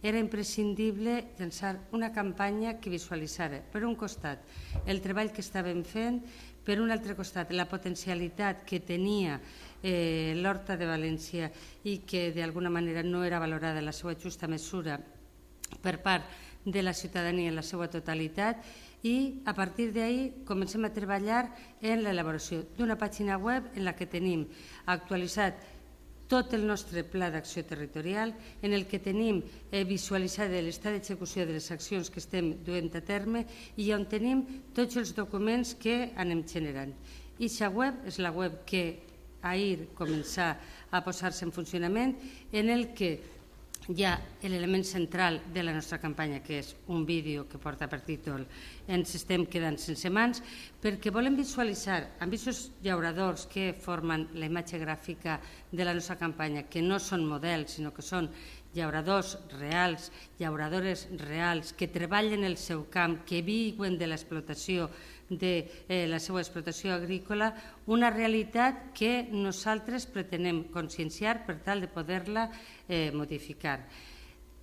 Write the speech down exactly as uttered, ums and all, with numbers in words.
era imprescindible llançar una campanya que visualitzara, per un costat, el treball que estàvem fent, per un altre costat, la potencialitat que tenia eh, l'Horta de València i que d'alguna manera no era valorada en la seva justa mesura per part de la ciutadania en la seva totalitat, i a partir d'ahir comencem a treballar en l'elaboració d'una pàgina web en la que tenim actualitzat tot el nostre pla d'acció territorial, en el que tenim visualitzat l'estat d'execució de les accions que estem duent a terme i on tenim tots els documents que anem generant. Aquesta web és la web que ahir començà a posar-se en funcionament, en el que hi ha l'element central de la nostra campanya, que és un vídeo que porta per títol "Ens estem quedant sense mans", perquè volem visualitzar amb aquests llauradors que formen la imatge gràfica de la nostra campanya, que no són models, sinó que són llauradors reals, llauradores reals, que treballen el seu camp, que viuen de l'explotació, de eh, la seva explotació agrícola, una realitat que nosaltres pretenem conscienciar per tal de poder-la eh, modificar.